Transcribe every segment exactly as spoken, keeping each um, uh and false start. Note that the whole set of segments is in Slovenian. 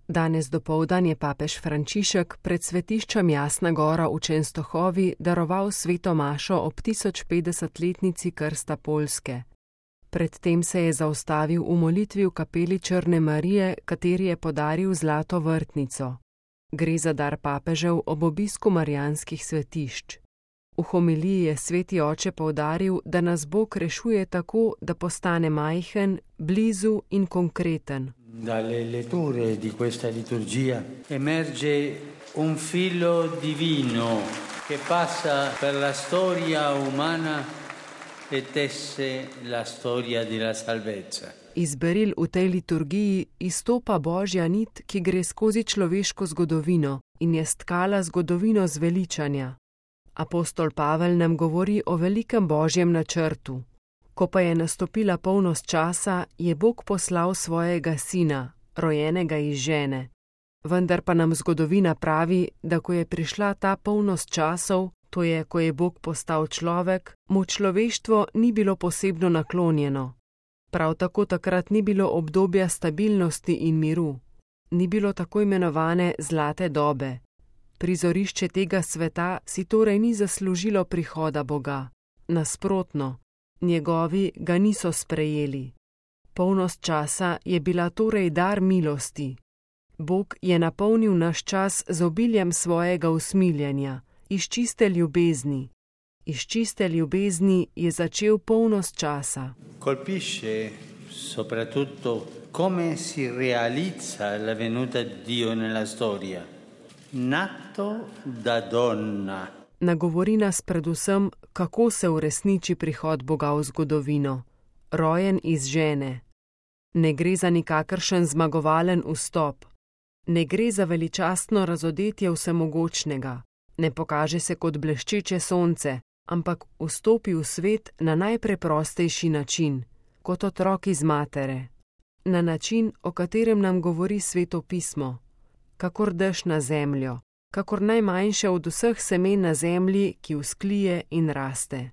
Danes dopoldan je papež Frančišek pred svetiščem Jasna gora v Čenstohovi daroval sveto mašo ob tisočpetdesetletnici krsta Poljske. Predtem se je zaustavil v molitvi v kapeli Črne Marije, kateri je podaril zlato vrtnico. Gre za dar papežev ob obisku marijanskih svetišč. V homiliji je sveti oče poudaril, da nas Bog rešuje tako, da postane majhen, blizu in konkreten. Dalle letture di questa liturgia emerge un filo divino che passa per la storia umana e tesse la storia della salvezza. Iz beril v tej liturgiji izstopa božja nit, ki gre skozi človeško zgodovino in je stkala zgodovino zveličanja. Apostol Pavel nam govori o velikem božjem načrtu. Ko pa je nastopila polnost časa, je Bog poslal svojega sina, rojenega iz žene. Vendar pa nam zgodovina pravi, da ko je prišla ta polnost časov, to je, ko je Bog postal človek, mu človeštvo ni bilo posebno naklonjeno. Prav tako takrat ni bilo obdobja stabilnosti in miru. Ni bilo tako imenovane zlate dobe. Prizorišče tega sveta si torej ni zaslužilo prihoda Boga. Nasprotno, njegovi ga niso sprejeli. Polnost časa je bila torej dar milosti. Bog je napolnil naš čas z obiljem svojega usmiljenja, iz čiste ljubezni. Iz čiste ljubezni je začel polnost časa. Colpisce soprattutto come si realizza la venuta di Dio nella storia. Nato da donna. Nagovori nas predvsem, kako se uresniči prihod Boga v zgodovino. Rojen iz žene. Ne gre za nikakršen zmagovalen vstop. Ne gre za veličastno razodetje vsemogočnega. Ne pokaže se kot bleščeče sonce, ampak vstopi v svet na najpreprostejši način, kot otrok iz matere. Na način, o katerem nam govori Sveto pismo. Kakor dež na zemljo, kakor najmanjše od vseh semen na zemlji, ki vzklije in raste.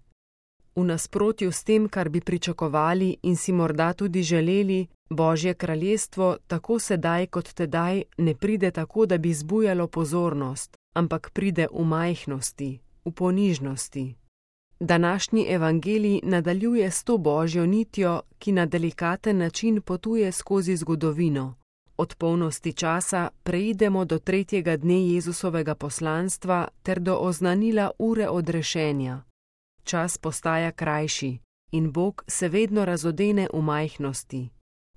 V nasprotju s tem, kar bi pričakovali in si morda tudi želeli, Božje kraljestvo tako sedaj kot tedaj ne pride tako, da bi zbujalo pozornost, ampak pride v majhnosti, v ponižnosti. Današnji evangelij nadaljuje s to božjo nitjo, ki na delikaten način potuje skozi zgodovino. Od polnosti časa preidemo do tretjega dne Jezusovega poslanstva ter do oznanila ure odrešenja. Čas postaja krajši in Bog se vedno razodene v majhnosti.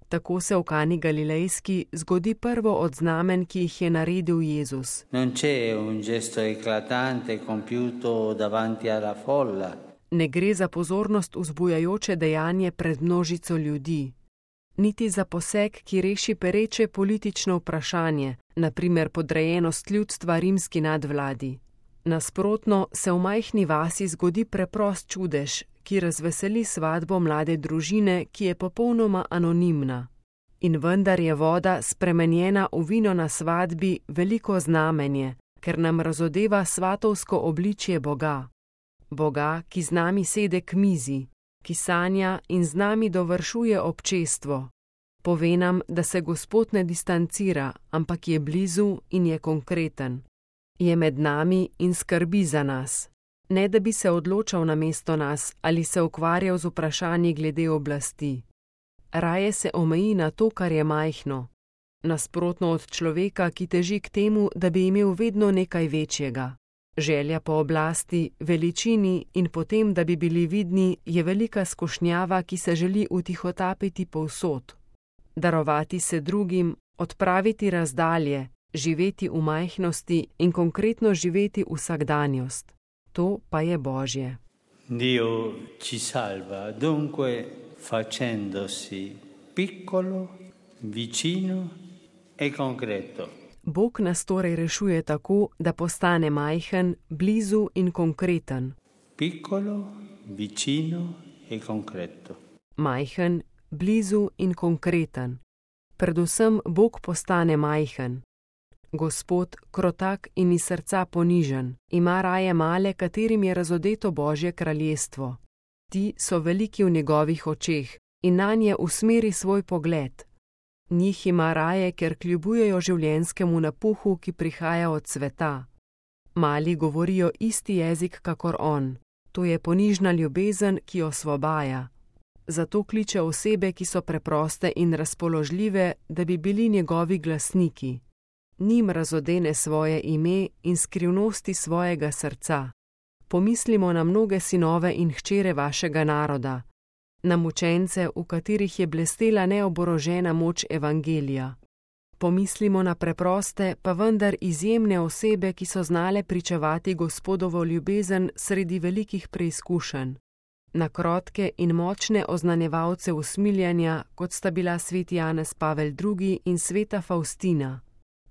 Tako se v Kani Galilejski zgodi prvo od znamen, ki jih je naredil Jezus. Non c'è un gesto eclatante compiuto davanti alla folla. Ne gre za pozornost vzbujajoče dejanje pred množico ljudi. Niti za poseg, ki reši pereče politično vprašanje, na primer podrejenost ljudstva rimski nadvladi. Nasprotno se v majhni vasi zgodi preprost čudež, ki razveseli svatbo mlade družine, ki je popolnoma anonimna. In vendar je voda spremenjena v vino na svatbi veliko znamenje, ker nam razodeva svatovsko obličje Boga. Boga, ki z nami sede k mizi, ki sanja in z nami dovršuje občestvo. Pove nam, da se Gospod ne distancira, ampak je blizu in je konkreten. Je med nami in skrbi za nas. Ne da bi se odločal namesto nas ali se ukvarjal z vprašanji glede oblasti. Raje se omeji na to, kar je majhno. Nasprotno od človeka, ki teži k temu, da bi imel vedno nekaj večjega. Želja po oblasti, veličini in potem, da bi bili vidni, je velika skušnjava, ki se želi utihotapiti povsod. Darovati se drugim, odpraviti razdalje, živeti v majhnosti in konkretno živeti vsakdanjost. To pa je Božje. Dio ci salva dunque facendosi piccolo, vicino e concreto. Bog nas torej rešuje tako, da postane majhen, blizu in konkreten. Piccolo, vicino e concreto. Majhen, blizu in konkreten. Predvsem Bog postane majhen. Gospod, krotak in iz srca ponižen, ima raje male, katerim je razodeto Božje kraljestvo. Ti so veliki v njegovih očeh in nanje usmeri svoj pogled. Njih ima raje, ker kljubujejo življenjskemu napuhu, ki prihaja od sveta. Mali govorijo isti jezik kakor on. To je ponižna ljubezen, ki osvobaja. Zato kliče osebe, ki so preproste in razpoložljive, da bi bili njegovi glasniki. Njim razodene svoje ime in skrivnosti svojega srca. Pomislimo na mnoge sinove in hčere vašega naroda, na mučence, v katerih je blestela neoborožena moč evangelija. Pomislimo na preproste, pa vendar izjemne osebe, ki so znale pričevati Gospodovo ljubezen sredi velikih preizkušenj. Na krotke in močne oznanjevalce usmiljanja, kot sta bila sveti Janez Pavel drugi in sveta Faustina.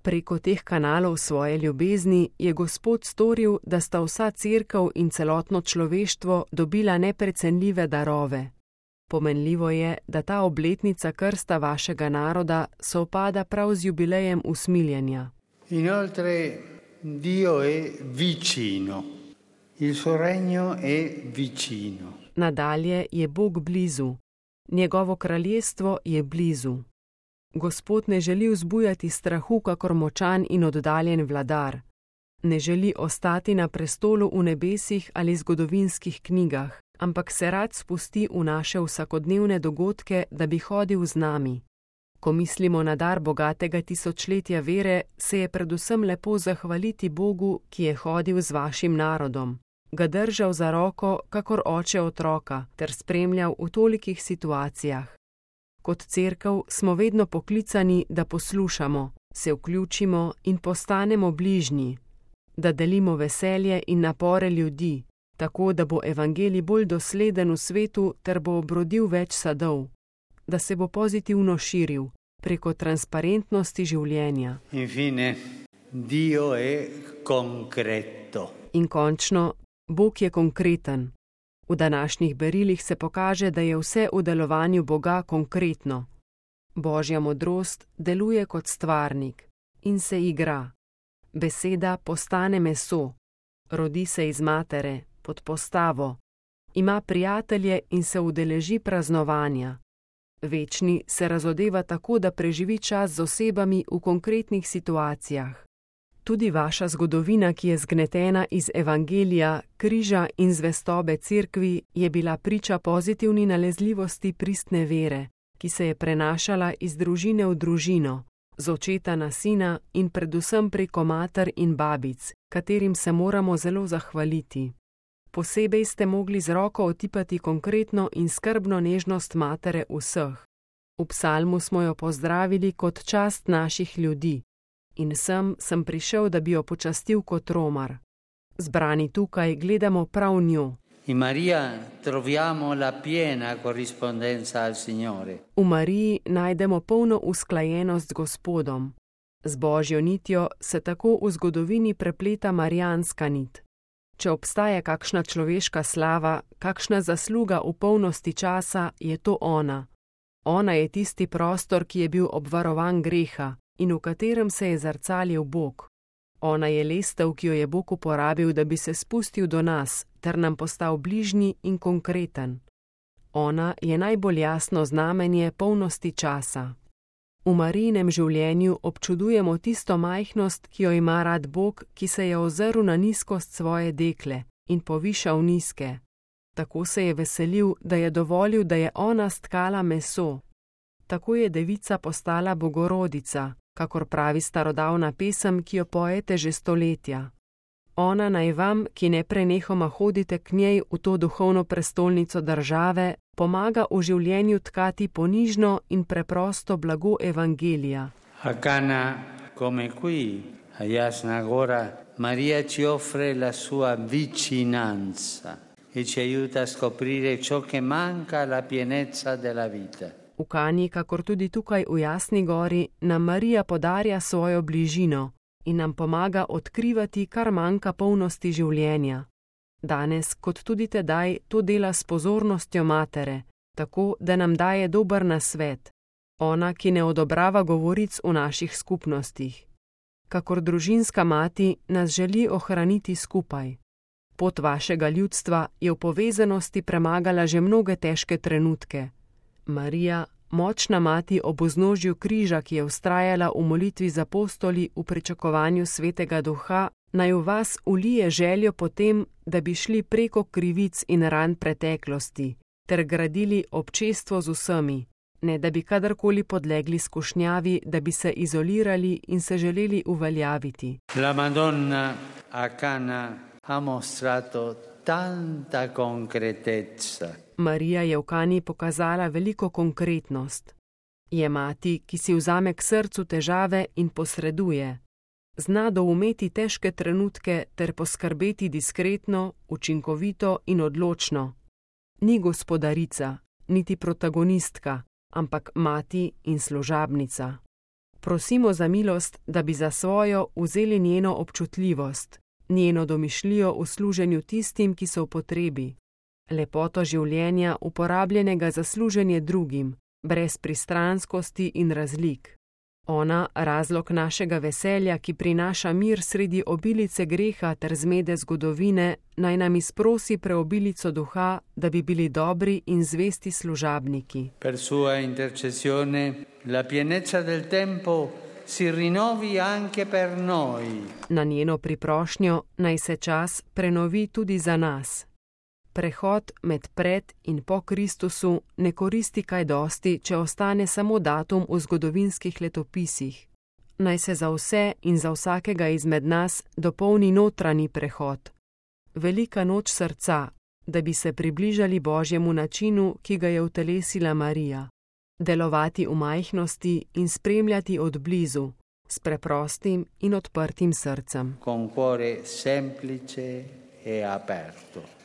Preko teh kanalov svoje ljubezni je Gospod storil, da sta vsa cerkev in celotno človeštvo dobila neprecenljive darove. Pomenljivo je, da ta obletnica krsta vašega naroda sovpada prav z jubilejem usmiljenja. Inoltre, Dio è vicino. Il suo regno è vicino. Nadalje je Bog blizu. Njegovo kraljestvo je blizu. Gospod ne želi vzbujati strahu kakor močan in oddaljen vladar. Ne želi ostati na prestolu v nebesih ali zgodovinskih knjigah, ampak se rad spusti v naše vsakodnevne dogodke, da bi hodil z nami. Ko mislimo na dar bogatega tisočletja vere, se je predvsem lepo zahvaliti Bogu, ki je hodil z vašim narodom, ga držal za roko, kakor oče otroka, ter spremljal v tolikih situacijah. Kot cerkev smo vedno poklicani, da poslušamo, se vključimo in postanemo bližnji, da delimo veselje in napore ljudi, tako da bo evangelij bolj dosleden v svetu ter bo obrodil več sadov, da se bo pozitivno širil preko transparentnosti življenja. Infine, Dio è concreto. In končno, Bog je konkreten. V današnjih berilih se pokaže, da je vse v delovanju Boga konkretno. Božja modrost deluje kot stvarnik in se igra. Beseda postane meso, rodi se iz matere, pod postavo, ima prijatelje in se udeleži praznovanja. Večni se razodeva tako, da preživi čas z osebami v konkretnih situacijah. Tudi vaša zgodovina, ki je zgnetena iz evangelija, križa in zvestobe cerkvi, je bila priča pozitivni nalezljivosti pristne vere, ki se je prenašala iz družine v družino, z očeta na sina in predvsem preko mater in babic, katerim se moramo zelo zahvaliti. Posebej ste mogli z roko otipati konkretno in skrbno nežnost matere vseh. V psalmu smo jo pozdravili kot čast naših ljudi. In sem sem prišel, da bi jo počastil kot romar. Zbrani tukaj gledamo prav njo. In Maria troviamo la piena corrispondenza al Signore. V Mariji najdemo polno usklajenost z Gospodom. Z Božjo nitjo se tako v zgodovini prepleta marijanska nit. Če obstaja kakšna človeška slava, kakšna zasluga v polnosti časa, je to ona. Ona je tisti prostor, ki je bil obvarovan greha in v katerem se je zrcalil Bog. Ona je lestev, ki jo je Bog uporabil, da bi se spustil do nas, ter nam postal bližnji in konkreten. Ona je najbolj jasno znamenje polnosti časa. V Marijinem življenju občudujemo tisto majhnost, ki jo ima rad Bog, ki se je ozrl na nizkost svoje dekle in povišal nizke. Tako se je veselil, da je dovolil, da je ona stkala meso. Tako je devica postala bogorodica, kakor pravi starodavna pesem, ki jo pojete že stoletja. Ona naj vam, ki neprenehoma hodite k njej v to duhovno prestolnico države, pomaga v življenju tkati ponižno in preprosto blago evangelija. A Cana, come qui, a Jasna Gora, Maria ci offre la sua vicinanza e ci aiuta a scoprire ciò che manca alla pienezza della vita. V Kani, kakor tudi tukaj v Jasni gori, nam Marija podarja svojo bližino in nam pomaga odkrivati, kar manjka polnosti življenja. Danes, kot tudi tedaj, to dela s pozornostjo matere, tako da nam daje dober nasvet. Ona, ki ne odobrava govoric v naših skupnostih. Kakor družinska mati, nas želi ohraniti skupaj. Pot vašega ljudstva je v povezanosti premagala že mnoge težke trenutke. Marija, močna mati ob vznožju križa, ki je vztrajala v molitvi z apostoli v pričakovanju svetega duha, naj v vas ulije željo potem, da bi šli preko krivic in ran preteklosti, ter gradili občestvo z vsemi, ne da bi kadarkoli podlegli skušnjavi, da bi se izolirali in se želeli uveljaviti. La Madonna a Cana ha mostrato tanta concretezza. Marija je v Kani pokazala veliko konkretnost. Je mati, ki si vzame k srcu težave in posreduje. Zna doumeti težke trenutke ter poskrbeti diskretno, učinkovito in odločno. Ni gospodarica, niti protagonistka, ampak mati in služabnica. Prosimo za milost, da bi za svojo vzeli njeno občutljivost, njeno domišljijo v služenju tistim, ki so v potrebi, lepoto življenja uporabljenega za služenje drugim, brez pristranskosti in razlik. Ona, razlog našega veselja, ki prinaša mir sredi obilice greha ter zmede zgodovine, naj nam izprosi preobilico duha, da bi bili dobri in zvesti služabniki. Per sua intercessione la pienezza del tempo si rinnovi anche per noi. Na njeno priprošnjo naj se čas prenovi tudi za nas. Prehod med pred in po Kristusu ne koristi kaj dosti, če ostane samo datum v zgodovinskih letopisih. Naj se za vse in za vsakega izmed nas dopolni notranji prehod. Velika noč srca, da bi se približali Božjemu načinu, ki ga je utelesila Marija. Delovati v majhnosti in spremljati od blizu, s preprostim in odprtim srcem. Con cuore semplice e aperto.